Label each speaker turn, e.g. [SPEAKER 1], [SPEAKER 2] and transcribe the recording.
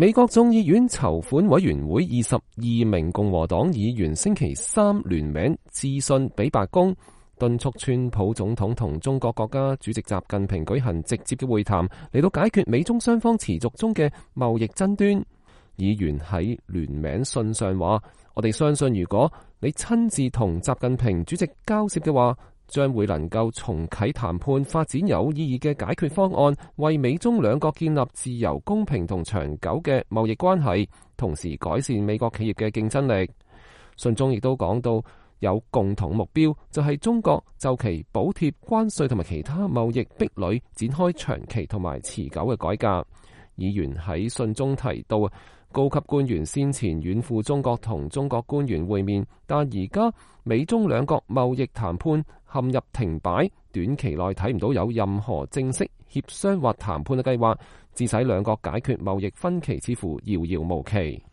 [SPEAKER 1] 美國眾議院籌款委員會22名共和黨議員星期三聯名致信俾白宮，敦促川普總統同中國國家主席習近平舉行直接嘅會談，嚟到解決美中雙方持續中嘅貿易爭端。議員喺聯名信上話：我哋相信如果你親自同習近平主席交涉嘅話，將會能夠重啟談判，發展有意義嘅解決方案，為美中兩國建立自由、公平同長久嘅貿易關係，同時改善美國企業嘅競爭力。信中亦都講到有共同目標，就係中國就其補貼、關稅同埋其他貿易壁壘展開長期同埋持久嘅改革。議員喺信中提到，高級官員先前遠赴中國同中國官員會面，但而家美中兩國貿易談判陷入停擺，短期內睇唔到有任何正式協商或談判嘅計劃，致使兩國解決貿易分歧似乎遙遙無期。